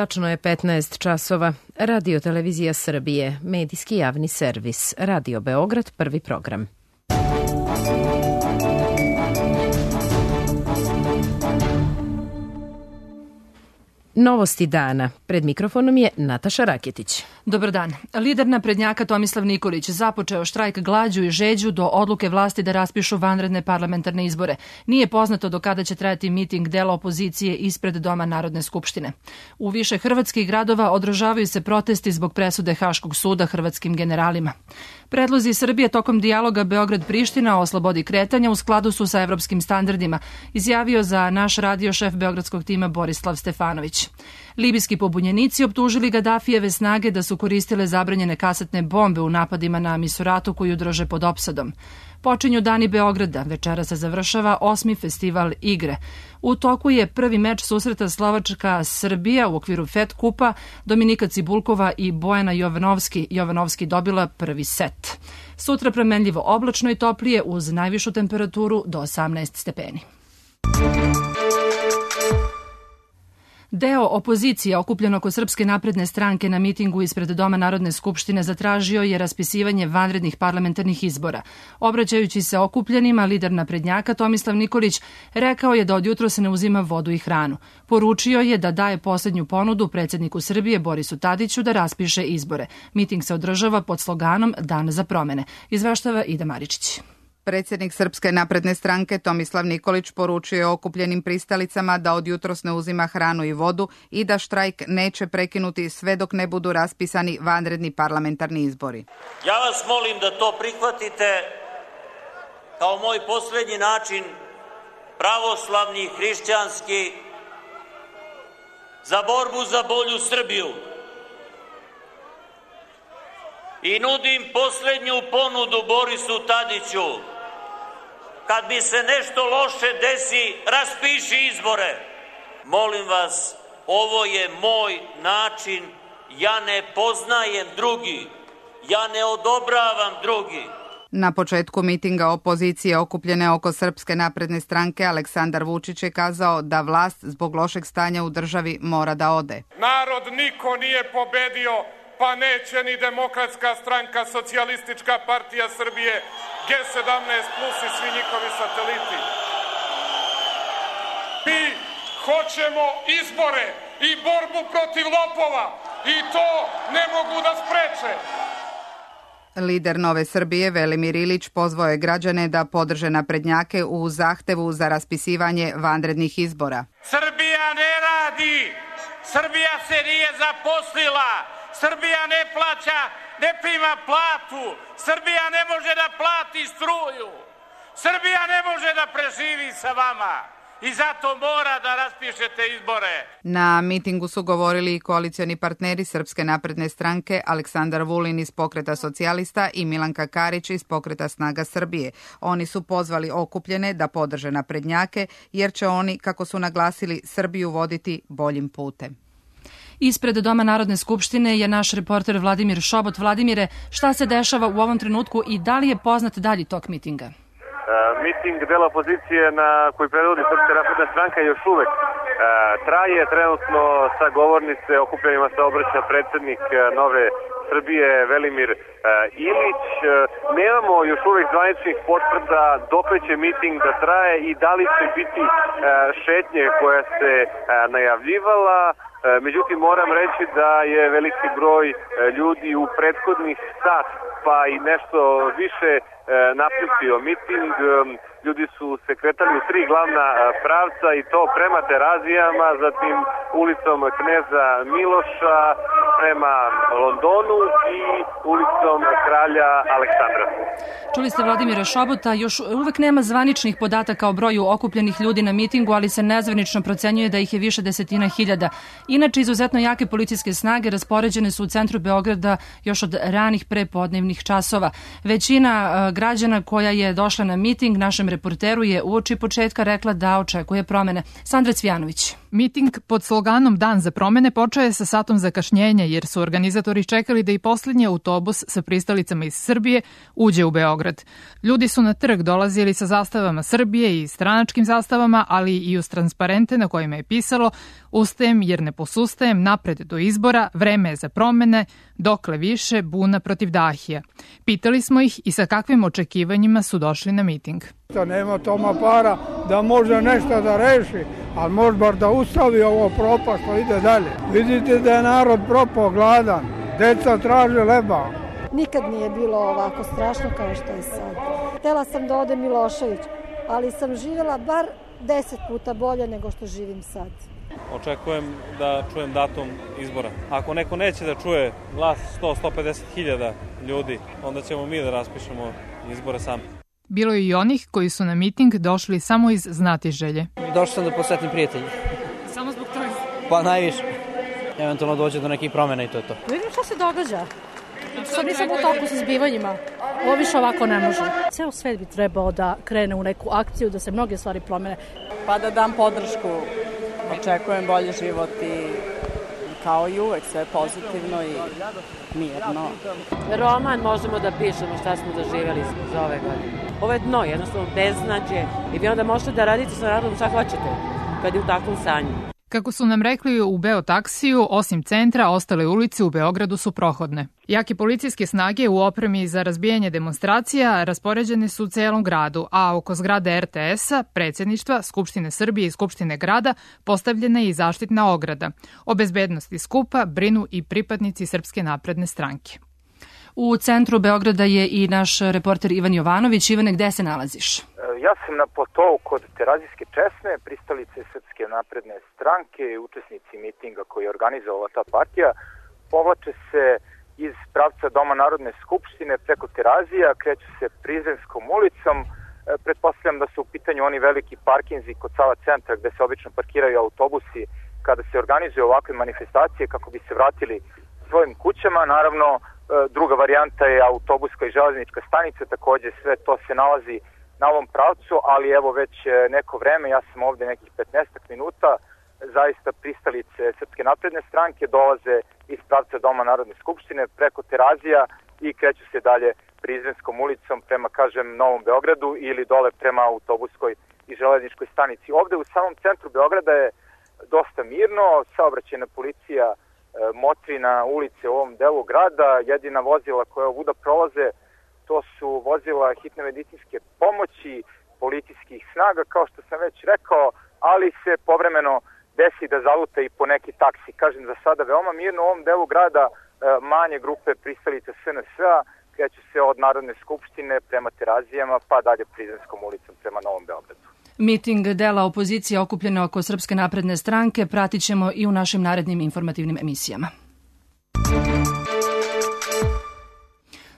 Tačno je 15 časova. Radio Televizija Srbije, medijski javni servis. Radio Beograd, prvi program. Novosti dana. Pred mikrofonom je Nataša Raketić. Dobar dan. Lider naprednjaka Tomislav Nikolić započeo štrajk glađu i žeđu do odluke vlasti da raspišu vanredne parlamentarne izbore. Nije poznato do kada će trajati miting dela opozicije ispred Doma Narodne skupštine. U više hrvatskih gradova održavaju se protesti zbog presude Haškog suda hrvatskim generalima. Predlozi Srbije tokom dijaloga Beograd-Priština o slobodi kretanja u skladu su sa evropskim standardima, izjavio za naš radio šef beogradskog tima Borislav Stefanović. Libijski pobunjenici optužili Gadafijeve snage da su koristile zabranjene kasetne bombe u napadima na Misuratu koju drže pod opsadom. Počinju Dani Beograda, večera se završava 8. festival igre. U toku je prvi meč susreta Slovačka-Srbija u okviru FED kupa, Dominika Cibulkova i Bojana Jovanovski dobila prvi set. Sutra promenljivo oblačno i toplije uz najvišu temperaturu do 18 stepeni. Deo opozicije okupljen oko Srpske napredne stranke na mitingu ispred Doma Narodne skupštine zatražio je raspisivanje vanrednih parlamentarnih izbora. Obraćajući se okupljenima, lider naprednjaka Tomislav Nikolić rekao je da od jutro se ne uzima vodu i hranu. Poručio je da daje poslednju ponudu predsjedniku Srbije Borisu Tadiću da raspiše izbore. Miting se održava pod sloganom Dan za promene. Izveštava Ida Maričić. Predsjednik Srpske napredne stranke Tomislav Nikolić poručio je okupljenim pristalicama da od jutros ne uzima hranu i vodu i da štrajk neće prekinuti sve dok ne budu raspisani vanredni parlamentarni izbori. Ja vas molim da to prihvatite kao moj posljednji način pravoslavni, hrišćanski, za borbu za bolju Srbiju. I nudim posljednju ponudu Borisu Tadiću. Kad mi se nešto loše desi, raspiši izbore. Molim vas, ovo je moj način. Ja ne poznajem drugi. Ja ne odobravam drugi. Na početku mitinga opozicije okupljene oko Srpske napredne stranke Aleksandar Vučić je kazao da vlast zbog lošeg stanja u državi mora da ode. Narod niko nije pobedio, pa neće ni Demokratska stranka, Socijalistička partija Srbije, G17 plus i svi njihovi sateliti. Mi hoćemo izbore i borbu protiv lopova i to ne mogu da spreče. Lider Nove Srbije Velimir Ilić pozvao je građane da podrže naprednjake u zahtevu za raspisivanje vanrednih izbora. Srbija ne radi, Srbija se nije zaposlila. Srbija ne plaća, ne prima platu. Srbija ne može da plati struju. Srbija ne može da preživi sa vama. I zato mora da raspišete izbore. Na mitingu su govorili i koalicioni partneri Srpske napredne stranke Aleksandar Vulin iz Pokreta socijalista i Milanka Karić iz Pokreta Snaga Srbije. Oni su pozvali okupljene da podrže naprednjake jer će oni, kako su naglasili, Srbiju voditi boljim putem. Ispred Doma Narodne skupštine je naš reporter Vladimir Šobot. Vladimire, šta se dešava u ovom trenutku i da li je poznat dalji tok mitinga? Miting dela opozicije koji predvodi Srpska napredna stranka još uvek traje. Trenutno sa govornice okupljenima se obraća predsjednik Nove Srbije Velimir Ilić. Nemamo još uvek zvaničnih potvrda dokle će miting da traje i da li će biti šetnje koja se najavljivala. Međutim, moram reći da je veliki broj ljudi u prethodnih sat pa i nešto više napustio miting. Ljudi su se kretali u 3 glavna pravca i to prema Terazijama, zatim ulicom Kneza Miloša prema Londonu i ulicom Kralja Aleksandra. Čuli ste Vladimira Šobota, još uvek nema zvaničnih podataka o broju okupljenih ljudi na mitingu, ali se nezvanično procenjuje da ih je više desetina hiljada. Inače, izuzetno jake policijske snage raspoređene su u centru Beograda još od ranih prepodnevnih časova. Većina građana koja je došla na miting našem reporteru je uoči početka rekla da očekuje promene. Sandra Cvijanović. Miting pod sloganom Dan za promene počeo je sa satom zakašnjenja jer su organizatori čekali da i poslednji autobus sa pristalicama iz Srbije uđe u Beograd. Ljudi su na trg dolazili sa zastavama Srbije i stranačkim zastavama, ali i uz transparente na kojima je pisalo "Ustajem jer ne posustajem, napred do izbora, vreme je za promene, dokle više, buna protiv Dahija." Pitali smo ih i sa kakvim očekivanjima su došli na miting. Nema Toma para da može nešto da reši, ali može bar da ustavi ovo propast što ide dalje. Vidite da je narod propao gladan, deca traže leba. Nikad nije bilo ovako strašno kao što je sad. Htela sam da ode Milošević, ali sam živjela bar 10 puta bolje nego što živim sad. Očekujem da čujem datum izbora. Ako neko neće da čuje glas 100-150 hiljada ljudi, onda ćemo mi da raspišemo izbore sami. Bilo je i onih koji su na miting došli samo iz znatiželje. Došao sam da posetim prijatelje. Samo zbog toga? Pa najviše. Eventualno dođe do nekih promjena i to je to. Vidim šta se događa. Sad nisam u toku sa zbivanjima. Ovo više ovako ne može. Ceo svet bi trebao da krene u neku akciju, da se mnoge stvari promene. Pa da dam podršku. Očekujem bolji život i kao i uvek sve pozitivno i mirno. Roman možemo da pišemo šta smo doživjeli za ove godine. Ovo je dno, jednostavno beznađe i vi onda možete da radite sa narodom šta hoćete kad je u takvom stanju. Kako su nam rekli u Beotaksiju, osim centra, ostale ulice u Beogradu su prohodne. Jake policijske snage u opremi za razbijanje demonstracija raspoređene su u celom gradu, a oko zgrade RTS-a, predsjedništva, Skupštine Srbije i Skupštine grada postavljena je i zaštitna ograda. O bezbednosti skupa brinu i pripadnici Srpske napredne stranke. U centru Beograda je i naš reporter Ivan Jovanović. Ivane, gde se nalaziš? Ja sam na Potovu kod Terazijske česme, pristalice Srpske napredne stranke i učesnici mitinga koji je organizovala ta partija. Povlače se iz pravca Doma Narodne skupštine preko Terazija, kreću se Prizrenskom ulicom. Pretpostavljam da su u pitanju oni veliki parkinzi kod Sava centra gde se obično parkiraju autobusi kada se organizuju ovakve manifestacije kako bi se vratili svojim kućama. Naravno, druga varijanta je autobuska i železnička stanica, takođe sve to se nalazi na ovom pravcu, ali evo već neko vreme, ja sam ovde nekih 15 minuta, zaista pristalice Srpske napredne stranke dolaze iz pravca Doma Narodne skupštine preko Terazija i kreću se dalje Prizrenskom ulicom prema, kažem, Novom Beogradu ili dole prema autobuskoj i železničkoj stanici. Ovde u samom centru Beograda je dosta mirno, saobraćajna policija motri na ulice u ovom delu grada, jedina vozila koja ovuda prolaze to su vozila hitne medicinske pomoći, policijskih snaga, kao što sam već rekao, ali se povremeno desi da zaluta i po neki taksi. Kažem, za sada veoma mirno u ovom delu grada, manje grupe pristalica SNS-a kreću se od Narodne skupštine prema Terazijama pa dalje Prizrenskom ulicom prema Novom Beogradu. Miting dela opozicije okupljene oko Srpske napredne stranke pratit ćemo i u našim narednim informativnim emisijama.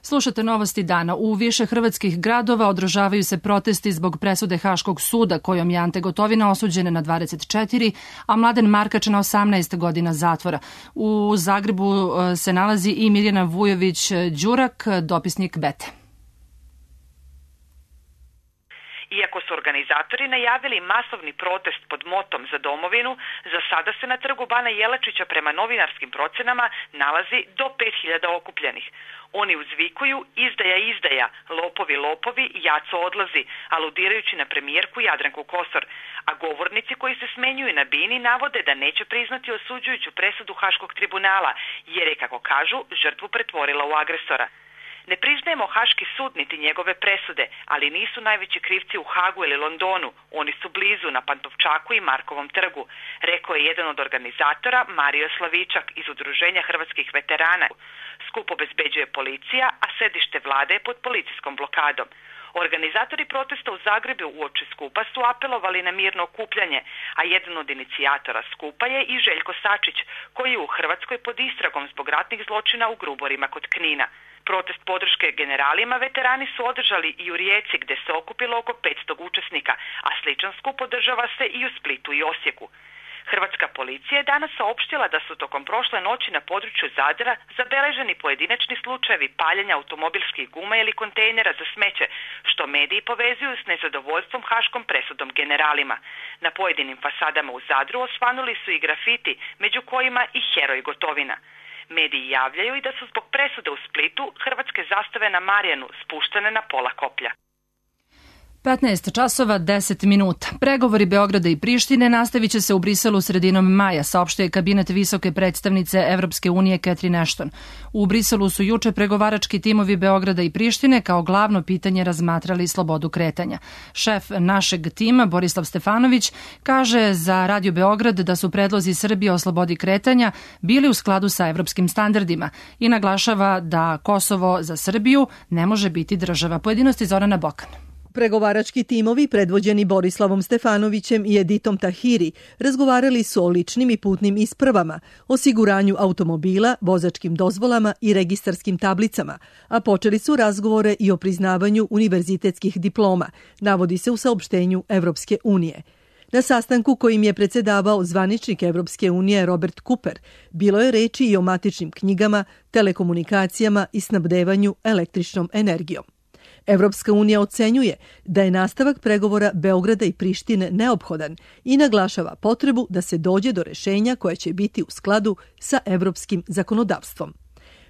Slušate novosti dana. U više hrvatskih gradova održavaju se protesti zbog presude Haškog suda kojom je Ante Gotovina osuđen na 24, a Mladen Markač na 18 godina zatvora. U Zagrebu se nalazi i Mirjana Vujović-Đurak, dopisnik Bete. Iako su organizatori najavili masovni protest pod motom za domovinu, za sada se na trgu Bana Jelačića prema novinarskim procenama nalazi do 5000 okupljenih. Oni uzvikuju izdaja, izdaja, lopovi, lopovi, jaco odlazi, aludirajući na premijerku Jadranku Kosor, a govornici koji se smenjuju na Bini navode da neće priznati osuđujuću presudu Haškog tribunala, jer je, kako kažu, žrtvu pretvorila u agresora. Ne priznajemo Haški sud niti njegove presude, ali nisu najveći krivci u Hagu ili Londonu, oni su blizu na Pantovčaku i Markovom trgu, rekao je jedan od organizatora Mario Slavičak iz Udruženja hrvatskih veterana. Skup obezbeđuje policija, a sedište vlade je pod policijskom blokadom. Organizatori protesta u Zagrebu uoči skupa su apelovali na mirno okupljanje, a jedan od inicijatora skupa je i Željko Sačić, koji je u Hrvatskoj pod istragom zbog ratnih zločina u Gruborima kod Knina. Protest podrške generalima veterani su održali i u Rijeci gde se okupilo oko 500 učesnika, a sličan skup održava se i u Splitu i Osijeku. Hrvatska policija je danas saopštila da su tokom prošle noći na području Zadra zabeleženi pojedinačni slučajevi paljenja automobilskih guma ili kontejnera za smeće, što mediji povezuju s nezadovoljstvom haškom presudom generalima. Na pojedinim fasadama u Zadru osvanuli su i grafiti, među kojima i heroj Gotovina. Mediji javljaju i da su zbog presude u Splitu hrvatske zastave na Marjanu spuštene na pola koplja. 15 časova 10 minuta. Pregovori Beograda i Prištine nastavit će se u Briselu sredinom maja, saopštuje kabinet visoke predstavnice Evropske unije Catherine Ashton. U Briselu su juče pregovarački timovi Beograda i Prištine kao glavno pitanje razmatrali slobodu kretanja. Šef našeg tima, Borislav Stefanović, kaže za Radio Beograd da su predlozi Srbije o slobodi kretanja bili u skladu sa evropskim standardima i naglašava da Kosovo za Srbiju ne može biti država. Pojedinosti Zorana Bokan. Pregovarački timovi predvođeni Borislavom Stefanovićem i Editom Tahiri razgovarali su o ličnim i putnim ispravama, osiguranju automobila, vozačkim dozvolama i registarskim tablicama, a počeli su razgovore i o priznavanju univerzitetskih diploma, navodi se u saopštenju Evropske unije. Na sastanku kojim je predsedavao zvaničnik Evropske unije Robert Cooper, bilo je reči i o matičnim knjigama, telekomunikacijama i snabdevanju električnom energijom. Evropska unija ocenjuje da je nastavak pregovora Beograda i Prištine neophodan i naglašava potrebu da se dođe do rešenja koje će biti u skladu sa evropskim zakonodavstvom.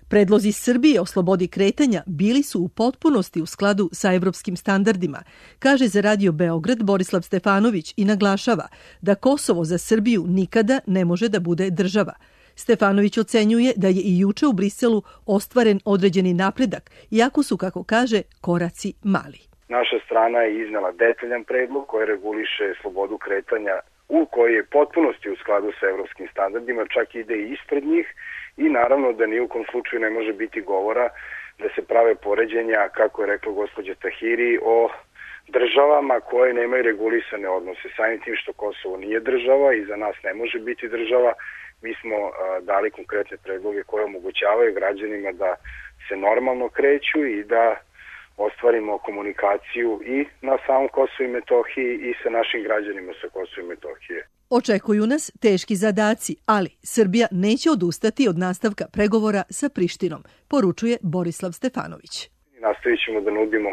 Predlozi Srbije o slobodi kretanja bili su u potpunosti u skladu sa evropskim standardima, kaže za Radio Beograd Borislav Stefanović i naglašava da Kosovo za Srbiju nikada ne može da bude država. Stefanović ocenjuje da je i juče u Briselu ostvaren određeni napredak, iako su, kako kaže, koraci mali. Naša strana je iznela detaljan predlog koji reguliše slobodu kretanja u koji je potpunosti u skladu sa evropskim standardima, čak ide i ispred njih i naravno da ni u kom slučaju ne može biti govora da se prave poređenja, kako je rekla gospođa Tahiri, o državama koje nemaju regulisane odnose. Samim tim što Kosovo nije država i za nas ne može biti država, mi smo dali konkretne predloge koje omogućavaju građanima da se normalno kreću i da ostvarimo komunikaciju i na samom Kosovu i Metohiji i sa našim građanima sa Kosova i Metohije. Očekuju nas teški zadaci, ali Srbija neće odustati od nastavka pregovora sa Prištinom, poručuje Borislav Stefanović. Nastavit ćemo da nudimo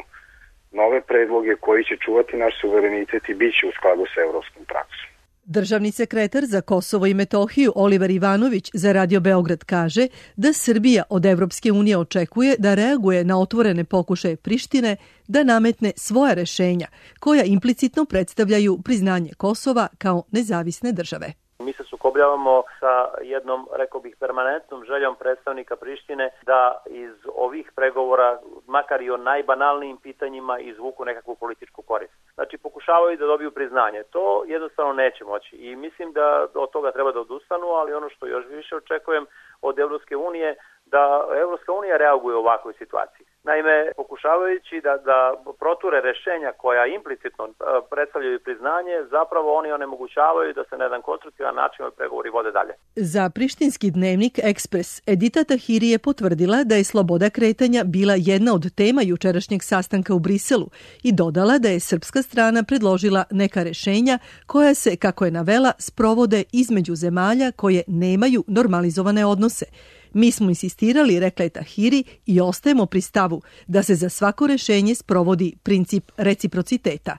nove predloge koji će čuvati naš suverenitet i bit će u skladu sa evropskom praksom. Državni sekretar za Kosovo i Metohiju Oliver Ivanović za Radio Beograd kaže da Srbija od Evropske unije očekuje da reaguje na otvorene pokušaje Prištine da nametne svoja rešenja, koja implicitno predstavljaju priznanje Kosova kao nezavisne države. Mi se sukobljavamo sa jednom, rekao bih, permanentnom željom predstavnika Prištine da iz ovih pregovora, makar i o najbanalnijim pitanjima, izvuku nekakvu političku korist. Znači, pokušavaju da dobiju priznanje. To jednostavno neće moći i mislim da od toga treba da odustanu, ali ono što još više očekujem od Evropske unije, da Evropska unija reaguje u ovakvoj situaciji. Naime, pokušavajući da proture rešenja koja implicitno predstavljaju priznanje, zapravo oni onemogućavaju da se na jedan konstruktivan način pregovori vode dalje. Za prištinski dnevnik Ekspres Edita Tahiri je potvrdila da je sloboda kretanja bila jedna od tema jučerašnjeg sastanka u Briselu i dodala da je srpska strana predložila neka rešenja koja se, kako je navela, sprovode između zemalja koje nemaju normalizovane odnose. Mi smo insistirali, rekla je Tahiri, i ostajemo pri stavu da se za svako rešenje sprovodi princip reciprociteta.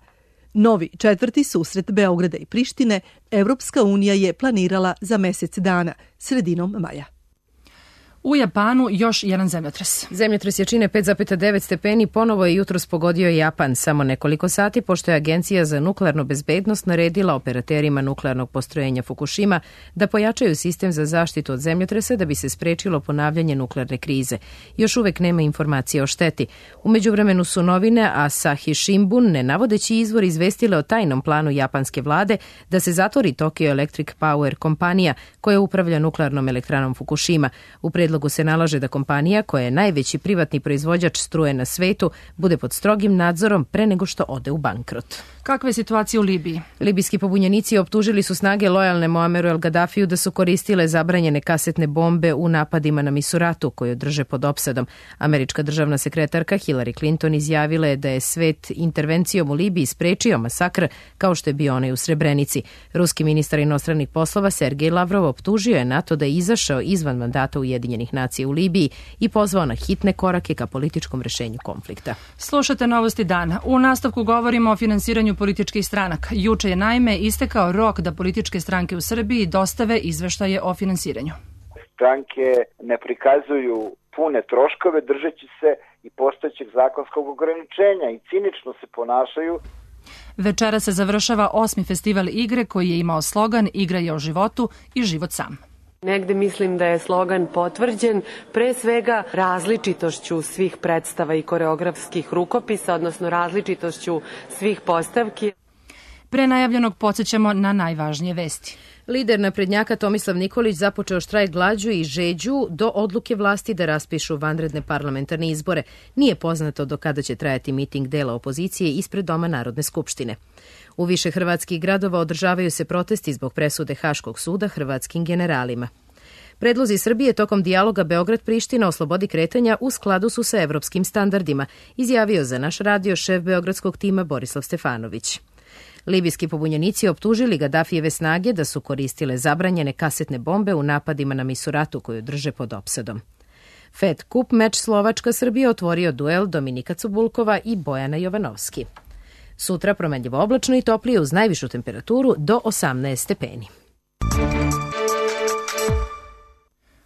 Novi četvrti susret Beograda i Prištine Evropska unija je planirala za mesec dana, sredinom maja. U Japanu još jedan zemljotres. Zemljotres jačine 5,9 stepeni ponovo je jutros pogodio Japan samo nekoliko sati, pošto je Agencija za nuklearnu bezbednost naredila operaterima nuklearnog postrojenja Fukushima da pojačaju sistem za zaštitu od zemljotresa da bi se sprečilo ponavljanje nuklearne krize. Još uvek nema informacije o šteti. U međuvremenu su novine Asahi Shimbun, ne navodeći izvor, izvestile o tajnom planu japanske vlade da se zatvori Tokyo Electric Power kompanija koja upravlja nuklearnom elektranom Fukushima. U predlogu predlogu se nalaže da kompanija, koja je najveći privatni proizvođač struje na svetu, bude pod strogim nadzorom pre nego što ode u bankrot. Kakva je situacija u Libiji? Libijski pobunjenici optužili su snage lojalne Muammeru El Gaddafiju da su koristile zabranjene kasetne bombe u napadima na Misuratu, koju drže pod opsadom. Američka državna sekretarka Hillary Clinton izjavila je da je svet intervencijom u Libiji sprečio masakr kao što je bio onaj u Srebrenici. Ruski ministar inostranih poslova Sergej Lavrov optužio je NATO da je izašao izvan mandata Ujedinjenih nacija u Libiji i pozvao na hitne korake ka političkom rešenju konflikta. Slušate Novosti dana. U nastavku govorimo o finansiranju političkih stranaka. Juče je naime istekao rok da političke stranke u Srbiji dostave izveštaje o finansiranju. Stranke ne prikazuju pune troškove držeći se i postojećeg zakonskog ograničenja i cinično se ponašaju. Večera se završava 8. festival igre koji je imao slogan Igra je o životu i život sam. Negde mislim da je slogan potvrđen pre svega različitošću svih predstava i koreografskih rukopisa, odnosno različitošću svih postavki. Pre najavljenog podsjećamo na najvažnije vesti. Lider naprednjaka Tomislav Nikolić započeo štrajk glađu i žeđu do odluke vlasti da raspišu vanredne parlamentarne izbore. Nije poznato do kada će trajati miting dela opozicije ispred Doma Narodne skupštine. U više hrvatskih gradova održavaju se protesti zbog presude Haškog suda hrvatskim generalima. Predlozi Srbije tokom dijaloga Beograd-Priština o slobodi kretanja u skladu su sa evropskim standardima, izjavio za naš radio šef beogradskog tima Borislav Stefanović. Libijski pobunjenici optužili Gaddafijeve snage da su koristile zabranjene kasetne bombe u napadima na Misuratu koju drže pod opsadom. Fed Cup meč Slovačka-Srbija otvorio duel Dominika Cubulkova i Bojana Jovanovski. Sutra promenljivo oblačno i toplije uz najvišu temperaturu do 18 stepeni.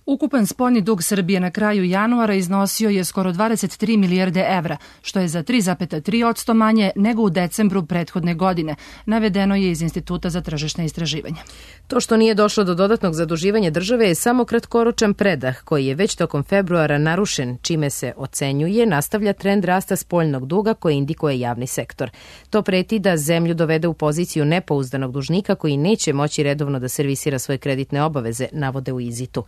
Ukupan spoljni dug Srbije na kraju januara iznosio je skoro 23 milijarde evra, što je za 3,3% manje nego u decembru prethodne godine, navedeno je iz Instituta za tržišne istraživanja. To što nije došlo do dodatnog zaduživanja države je samo kratkoročan predah koji je već tokom februara narušen, čime se ocenjuje nastavlja trend rasta spoljnog duga koji indikuje javni sektor. To preti da zemlju dovede u poziciju nepouzdanog dužnika koji neće moći redovno da servisira svoje kreditne obaveze, navode u Izitu.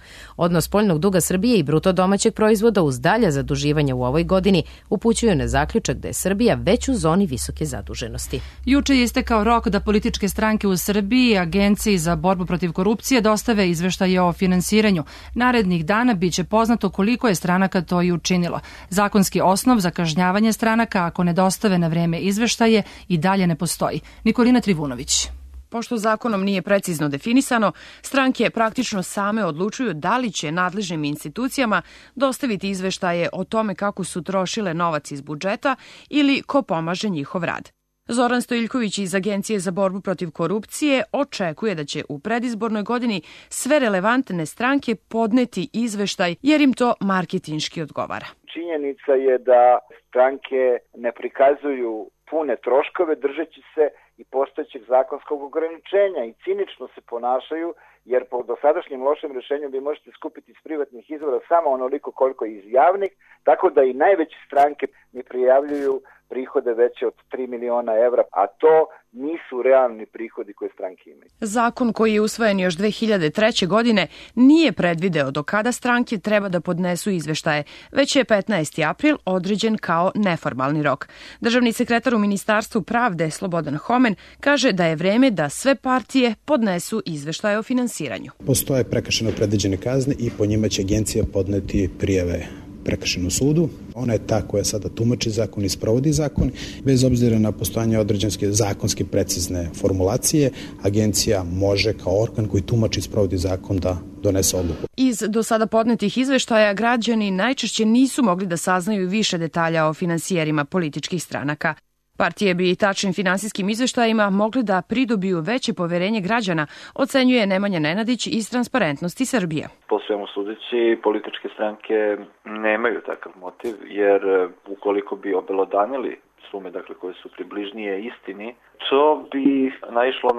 Odnos spoljnog duga Srbije i bruto domaćeg proizvoda uz dalja zaduživanja u ovoj godini upućuju na zaključak da je Srbija već u zoni visoke zaduženosti. Juče je istekao rok da političke stranke u Srbiji i Agenciji za borbu protiv korupcije dostave izveštaje o finansiranju. Narednih dana biće poznato koliko je stranaka to i učinilo. Zakonski osnov za kažnjavanje stranaka ako ne dostave na vreme izveštaje i dalje ne postoji. Nikolina Trivunović. Pošto zakonom nije precizno definisano, stranke praktično same odlučuju da li će nadležnim institucijama dostaviti izveštaje o tome kako su trošile novac iz budžeta ili ko pomaže njihov rad. Zoran Stojiljković iz Agencije za borbu protiv korupcije očekuje da će u predizbornoj godini sve relevantne stranke podneti izveštaj jer im to marketinški odgovara. Činjenica je da stranke ne prikazuju pune troškove držeći se i postojećeg zakonskog ograničenja i cinično se ponašaju jer po dosadašnjem lošem rešenju vi možete skupiti iz privatnih izvora samo onoliko koliko je iz javnih, tako da i najveće stranke ne prijavljuju prihode veće od 3 miliona evra, a to nisu realni prihodi koje stranke imaju. Zakon koji je usvojen još 2003. godine nije predvideo do kada stranke treba da podnesu izveštaje, već je 15. april određen kao neformalni rok. Državni sekretar u Ministarstvu pravde Slobodan Homen kaže da je vreme da sve partije podnesu izveštaje o finansiranju. Postoje prekršeno predviđene kazne i po njima će agencija podneti prijave prekršenom sudu. Ona je ta koja sada tumači zakon i sprovodi zakon. Bez obzira na postojanje određenske zakonske precizne formulacije, agencija može kao organ koji tumači i sprovodi zakon da donese odluku. Iz do sada podnetih izveštaja građani najčešće nisu mogli da saznaju više detalja o finansijerima političkih stranaka. Partije bi tačnim finansijskim izveštajima mogli da pridobiju veće poverenje građana, ocenjuje Nemanja Nenadić iz Transparentnosti Srbije. Po svemu sudeći, političke stranke nemaju takav motiv, jer ukoliko bi obelodanili sume koje su približnije istini, to bi naišlo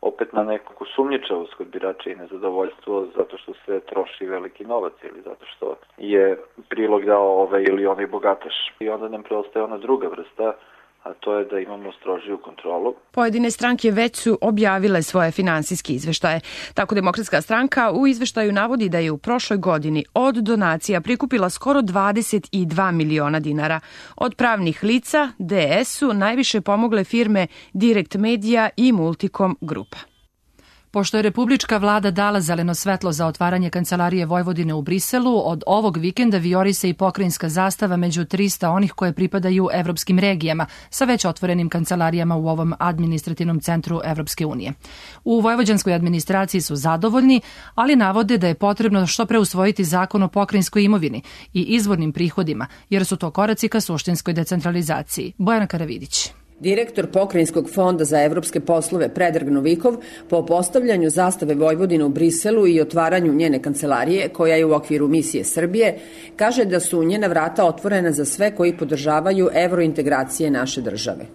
opet na neku sumnjičavost kod birača i nezadovoljstvo zato što se troši veliki novac ili zato što je prilog dao ovaj ili onaj bogataš. I onda nam preostaje ona druga vrsta, a to je da imamo strožiju kontrolu. Pojedine stranke već su objavile svoje finansijske izveštaje. Tako Demokratska stranka u izveštaju navodi da je u prošloj godini od donacija prikupila skoro 22 miliona dinara. Od pravnih lica DS-u najviše pomogle firme Direct Media i Multicom Grupa. Pošto je republička vlada dala zeleno svetlo za otvaranje Kancelarije Vojvodine u Briselu, od ovog vikenda vijori se i pokrajinska zastava među 300 onih koje pripadaju evropskim regijama sa već otvorenim kancelarijama u ovom administrativnom centru Evropske unije. U vojvođanskoj administraciji su zadovoljni, ali navode da je potrebno što pre usvojiti zakon o pokrajinskoj imovini i izvornim prihodima, jer su to koraci ka suštinskoj decentralizaciji. Bojana Karavidić. Direktor Pokrajinskog fonda za evropske poslove Predrag Novikov po postavljanju zastave Vojvodine u Briselu i otvaranju njene kancelarije, koja je u okviru misije Srbije, kaže da su njena vrata otvorena za sve koji podržavaju evrointegracije naše države.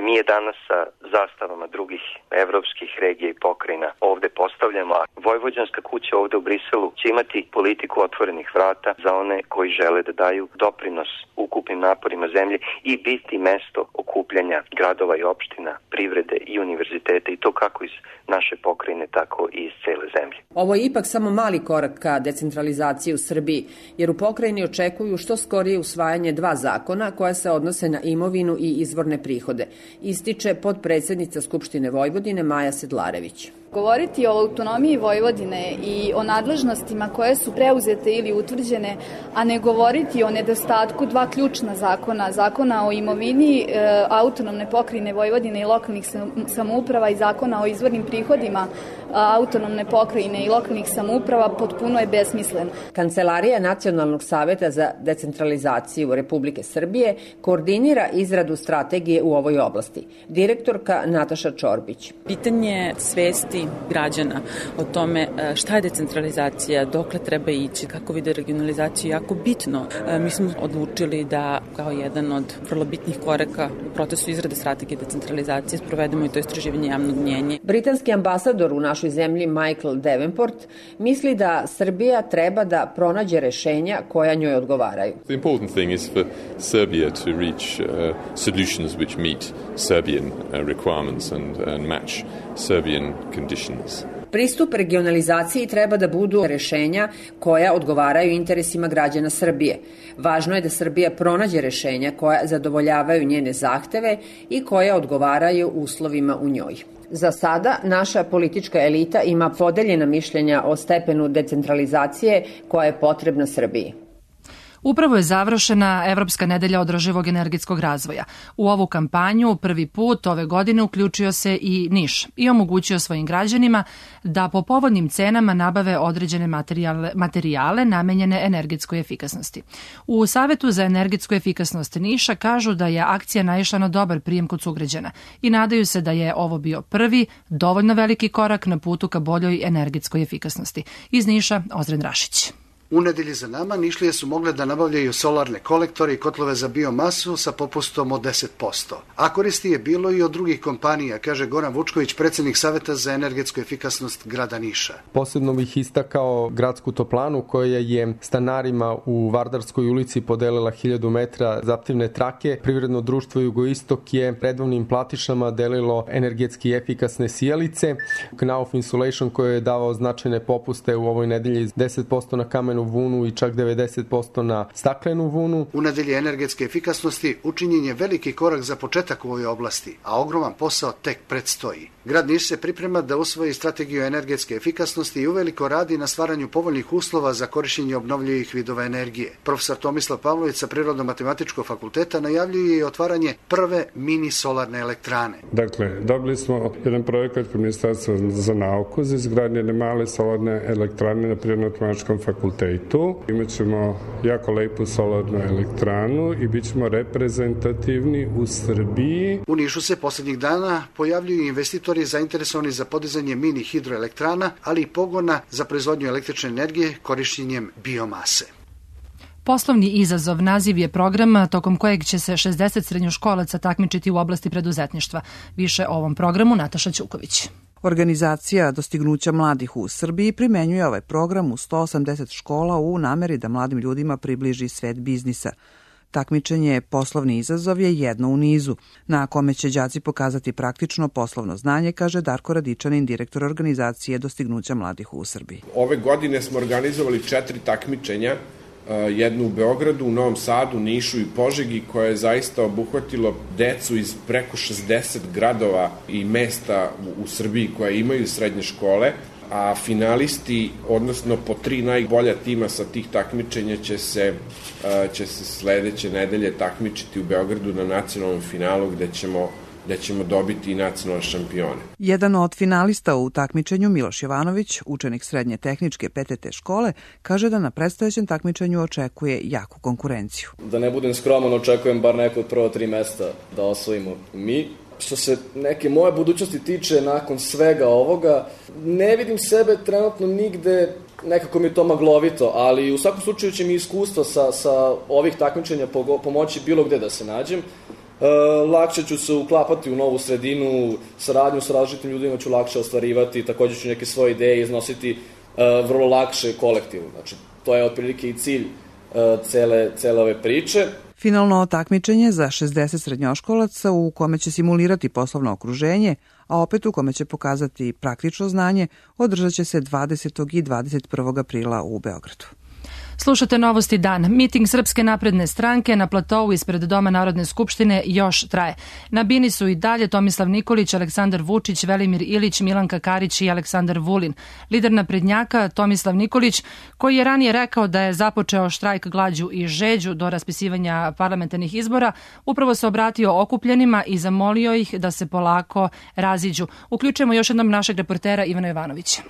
Mi je danas sa zastavama drugih evropskih regija i pokrajina ovde postavljamo, a Vojvođanska kuća ovde u Briselu će imati politiku otvorenih vrata za one koji žele da daju doprinos ukupnim naporima zemlje i biti mesto okupljanja gradova i opština, privrede i univerziteta, i to kako iz naše pokrajine, tako i iz cele zemlje. Ovo je ipak samo mali korak ka decentralizaciji u Srbiji, jer u pokrajini očekuju što skorije usvajanje 2 zakona koja se odnose na imovinu i izvorne prihode, ističe podpredsednica Skupštine Vojvodine Maja Sedlarević. Govoriti o autonomiji Vojvodine i o nadležnostima koje su preuzete ili utvrđene, a ne govoriti o nedostatku 2 ključna zakona, zakona o imovini autonomne pokrajine Vojvodine i lokalnih samouprava i zakona o izvornim prihodima autonomne pokrajine i lokalnih samouprava, potpuno je besmislen. Kancelarija Nacionalnog saveta za decentralizaciju Republike Srbije koordinira izradu strategije u ovoj oblasti. Direktorka Nataša Čorbić. Pitanje svesti građana o tome šta je decentralizacija, dokle treba ići, kako vide regionalizaciju, jako bitno. Mi smo odlučili da kao jedan od vrlo bitnih koraka u procesu izrade strategije decentralizacije sprovedemo i to istraživanje javnog mnjenja. Britanski ambasador u našoj zemlji Michael Davenport misli da Srbija treba da pronađe rešenja koja njoj odgovaraju. The important thing is for Serbia to reach solutions which meet Serbian requirements and match Serbian conditions. Pristup regionalizaciji treba da budu rešenja koja odgovaraju interesima građana Srbije. Važno je da Srbija pronađe rešenja koja zadovoljavaju njene zahteve i koja odgovaraju uslovima u njoj. Za sada naša politička elita ima podeljena mišljenja o stepenu decentralizacije koja je potrebna Srbiji. Upravo je završena Evropska nedelja održivog energetskog razvoja. U ovu kampanju prvi put ove godine uključio se i Niš i omogućio svojim građanima da po povoljnim cenama nabave određene materijale namenjene energetskoj efikasnosti. U Savetu za energetsku efikasnost Niša kažu da je akcija naišla na dobar prijem kod sugrađana i nadaju se da je ovo bio prvi, dovoljno veliki korak na putu ka boljoj energetskoj efikasnosti. Iz Niša, Ozren Rašić. U nedelji za nama Nišlije su mogle da nabavljaju solarne kolektore i kotlove za biomasu sa popustom od 10%. A koristi je bilo i od drugih kompanija, kaže Goran Vučković, predsjednik Saveta za energetsku efikasnost grada Niša. Posebno bih istakao gradsku toplanu koja je stanarima u Vardarskoj ulici podelila 1000 metra zaptivne trake. Privredno društvo Jugoistok je redovnim platišama delilo energetski efikasne sijalice. Knauf Insulation koji je davao značajne popuste u ovoj nedelji 10% na kamenu vunu i čak 90% na staklenu vunu. U nedelji energetske efikasnosti učinjen je veliki korak za početak u ovoj oblasti, a ogroman posao tek predstoji. Grad Niš se priprema da usvoji strategiju energetske efikasnosti i uveliko radi na stvaranju povoljnih uslova za korišćenje obnovljivih vidova energije. Profesor Tomislav Pavlović sa Prirodno-matematičkog fakulteta najavljuje i otvaranje prve mini solarne elektrane. Dakle, dobili smo jedan projekat kod Ministarstva za nauku za izgradnje male solarne elektrane na Prirodno-matematičkom fakultetu. Imaćemo jako lepu solarnu elektranu i bit ćemo reprezentativni u Srbiji. U Nišu se poslednjih dana pojavljuju investitori zainteresovani za podizanje mini hidroelektrana, ali i pogona za proizvodnju električne energije korišćenjem biomase. Poslovni izazov naziv je programa tokom kojeg će se 60 srednjoškolaca takmičiti u oblasti preduzetništva. Više o ovom programu Nataša Ćuković. Organizacija Dostignuća mladih u Srbiji primenjuje ovaj program u 180 škola u nameri da mladim ljudima približi svet biznisa. Takmičenje Poslovni izazov je jedno u nizu, na kome će đaci pokazati praktično poslovno znanje, kaže Darko Radičanin, direktor organizacije Dostignuća mladih u Srbiji. Ove godine smo organizovali 4 takmičenja, jednu u Beogradu, u Novom Sadu, Nišu i Požegi, koje je zaista obuhvatilo decu iz preko 60 gradova i mesta u Srbiji koje imaju srednje škole, a finalisti, odnosno po 3 najbolja tima sa tih takmičenja će se sledeće nedelje takmičiti u Beogradu na nacionalnom finalu gde ćemo dobiti i nacionalne šampione. Jedan od finalista u takmičenju, Miloš Jovanović, učenik srednje tehničke PTT škole, kaže da na predstojećem takmičenju očekuje jaku konkurenciju. Da ne budem skroman, očekujem bar neko od prva 3 mesta da osvojimo mi. Što se neke moje budućnosti tiče, nakon svega ovoga, ne vidim sebe trenutno nigde, nekako mi je to maglovito, ali u svakom slučaju će mi iskustvo sa ovih takmičenja pomoći bilo gde da se nađem. Lakše ću se uklapati u novu sredinu, saradnju sa različitim ljudima ću lakše ostvarivati, također ću neke svoje ideje iznositi vrlo lakše kolektivno. Znači, to je otprilike i cilj cele ove priče. Finalno takmičenje za 60 srednjoškolaca u kome će simulirati poslovno okruženje, a opet u kome će pokazati praktično znanje, održat će se 20. i 21. aprila u Beogradu. Slušate Novosti dan. Miting Srpske napredne stranke na platovu ispred Doma Narodne skupštine još traje. Na bini su i dalje Tomislav Nikolić, Aleksandar Vučić, Velimir Ilić, Milanka Karić i Aleksandar Vulin. Lider naprednjaka Tomislav Nikolić, koji je ranije rekao da je započeo štrajk glađu i žeđu do raspisivanja parlamentarnih izbora, upravo se obratio okupljenima i zamolio ih da se polako raziđu. Uključujemo još jednom našeg reportera Ivana Jovanovića.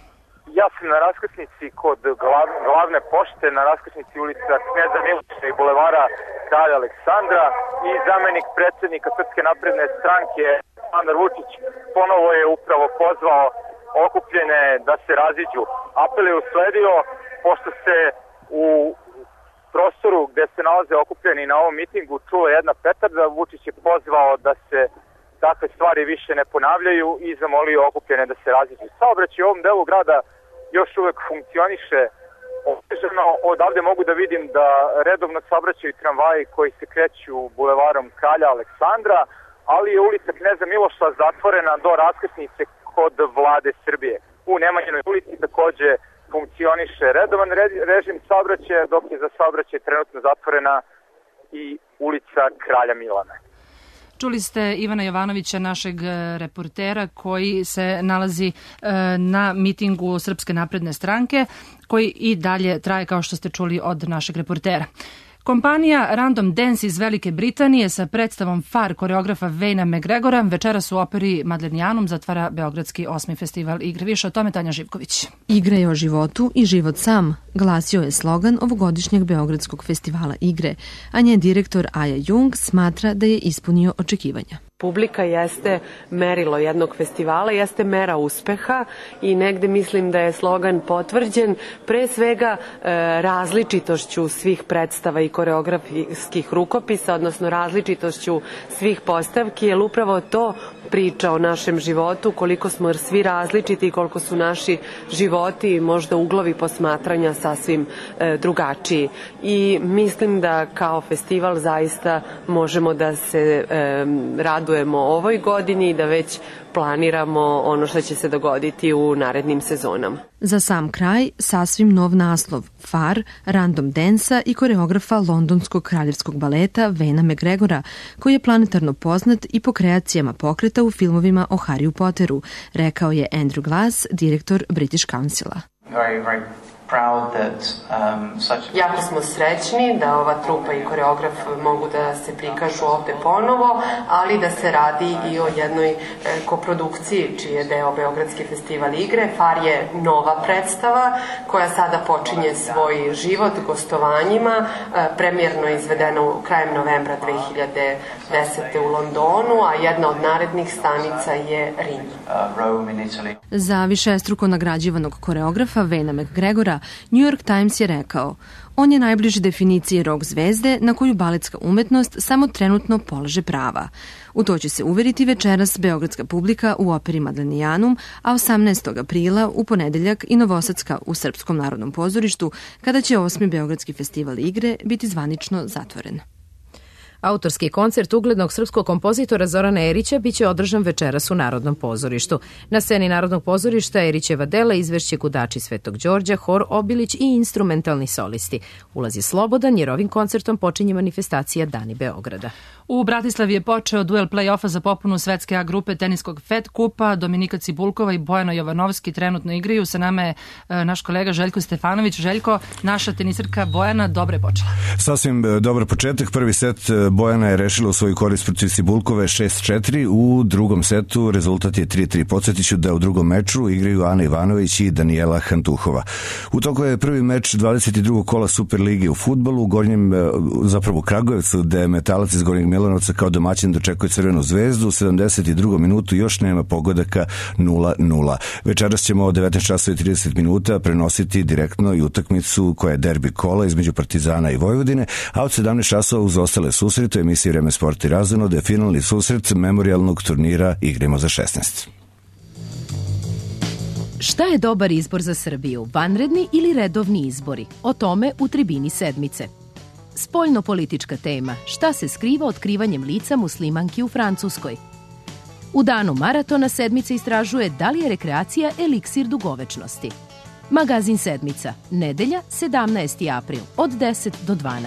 Ja sam na raskrsnici kod glavne pošte, na raskrsnici ulica Kneza Miloša i bulevara Kralja Aleksandra, i zamenik predsjednika Srpske napredne stranke Aleksandar Vučić ponovo je upravo pozvao okupljene da se raziđu. Apel je usledio pošto se u prostoru gde se nalaze okupljeni na ovom mitingu čula jedna petarda. Vučić je pozvao da se takve stvari više ne ponavljaju i zamolio okupljene da se raziđu. Saobraćaj u ovom delu grada još uvek funkcioniše otežano. Odavde mogu da vidim da redovno saobraćaju tramvaji koji se kreću bulevarom Kralja Aleksandra, ali je ulica Kneza Miloša zatvorena do raskrsnice kod Vlade Srbije. U Nemanjinoj ulici takođe funkcioniše redovan režim saobraćaja, dok je za saobraćaj trenutno zatvorena i ulica Kralja Milana. Čuli ste Ivana Jovanovića, našeg reportera, koji se nalazi na mitingu Srpske napredne stranke, koji i dalje traje, kao što ste čuli od našeg reportera. Kompanija Random Dance iz Velike Britanije sa predstavom Far koreografa Wayna McGregora večeras u operi Madlenianum zatvara Beogradski 8. festival igre. Više o tome Tanja Živković. Igre je o životu i život sam, glasio je slogan ovogodišnjeg Beogradskog festivala igre, a njen direktor Aja Jung smatra da je ispunio očekivanja. Publika jeste merilo jednog festivala, jeste mera uspeha i negde mislim da je slogan potvrđen pre svega različitošću svih predstava i koreografskih rukopisa, odnosno različitošću svih postavki, jer upravo to priča o našem životu, koliko smo svi različiti i koliko su naši životi i možda uglovi posmatranja sasvim drugačiji. I mislim da kao festival zaista možemo da se radujemo ovoj godini i da već planiramo ono što će se dogoditi u narednim sezonama. Za sam kraj, sasvim nov naslov, Far, Random Dance-a i koreografa londonskog kraljevskog baleta Wayna McGregora, koji je planetarno poznat i po kreacijama pokreta u filmovima o Harryu Potteru, rekao je Andrew Glass, direktor British Councila. Jako smo srećni da ova trupa i koreograf mogu da se prikažu ovde ponovo, ali da se radi i o jednoj koprodukciji čiji je deo Beogradski festival igre. Far je nova predstava koja sada počinje svoj život gostovanjima, premijerno izvedena krajem novembra 2010. u Londonu, a jedna od narednih stanica je Rim. Za višestruko nagrađivanog koreografa Wayna McGregora New York Times je rekao: on je najbliži definiciji rock zvezde na koju baletska umetnost samo trenutno polaže prava. U to će se uveriti večeras beogradska publika u operi Madlenianum, a 18. aprila u ponedeljak i Novosadska u Srpskom narodnom pozorištu, kada će 8. Beogradski festival igre biti zvanično zatvoren. Autorski koncert uglednog srpskog kompozitora Zorana Erića biće održan večeras u Narodnom pozorištu. Na sceni Narodnog pozorišta Erićeva dela izvešće Gudači Svetog Đorđa, hor Obilić i instrumentalni solisti. Ulaz je slobodan jer ovim koncertom počinje manifestacija Dani Beograda. U Bratislavi je počeo duel play-offa za popunu svetske A grupe teniskog Fed kupa. Dominika Cibulkova i Bojana Jovanovski trenutno igraju. Sa nama je naš kolega Željko Stefanović. Željko, naša tenisarka Bojana dobro je počela. Sasvim dobar početak. Prvi set Bojana je rešila u svoju korist protiv Cibulkove 6-4. U drugom setu rezultat je 3-3. Podsjetiću da u drugom meču igraju Ana Ivanović i Danijela Hantuhova. U toku je prvi meč 22. kola Superlige u fudbalu u Kragujevcu, gde Metalac iz Gornjeg Milanovca kao domaćin dočekuje Crvenu zvezdu. U 72. minutu još nema pogodaka 0-0. Večeras ćemo od 19:30 prenositi direktno i utakmicu koja je derbi kola između Partizana i Vojvodine, a od 17 uz ostale susrete u emisiji Vreme sport i razonode je finalni susret memorijalnog turnira Igramo za 16. Šta je dobar izbor za Srbiju? Vanredni ili redovni izbori? O tome u Tribini sedmice. Spoljno-politička tema. Šta se skriva otkrivanjem lica muslimanki u Francuskoj? U danu maratona sedmica istražuje da li je rekreacija eliksir dugovečnosti. Magazin sedmica. Nedelja, 17. april, od 10 do 12.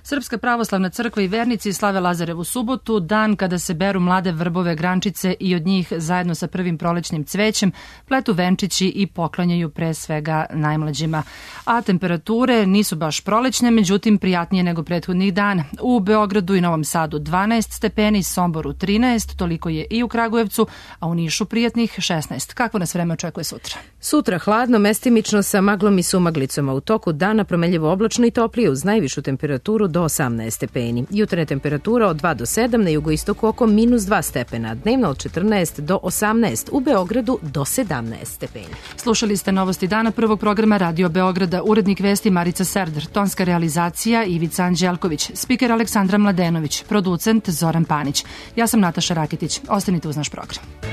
Srpska pravoslavna crkva i vernici slave Lazarevu subotu, dan kada se beru mlade vrbove grančice i od njih zajedno sa prvim prolećnim cvećem pletu venčići i poklanjaju pre svega najmlađima. A temperature nisu baš prolećne, međutim prijatnije nego prethodnih dana. U Beogradu i Novom Sadu 12 stepeni, Somboru 13, toliko je i u Kragujevcu, a u Nišu prijatnih 16. Kakvo nas vreme očekuje sutra? Sutra hladno, mestimično sa maglom i sumaglicom, a u toku dana promenljivo oblačno i toplije uz najvišu temperaturu do 18 stepeni. Jutarnja temperatura od 2 do 7, na jugoistoku oko -2 stepena, dnevno od 14 do 18, u Beogradu do 17 stepeni. Slušali ste novosti dana prvog programa Radio Beograda, urednik vesti Marica Serdar, tonska realizacija Ivica Anđelković, spiker Aleksandra Mladenović, producent Zoran Panić. Ja sam Nataša Raketić. Ostanite uz naš program.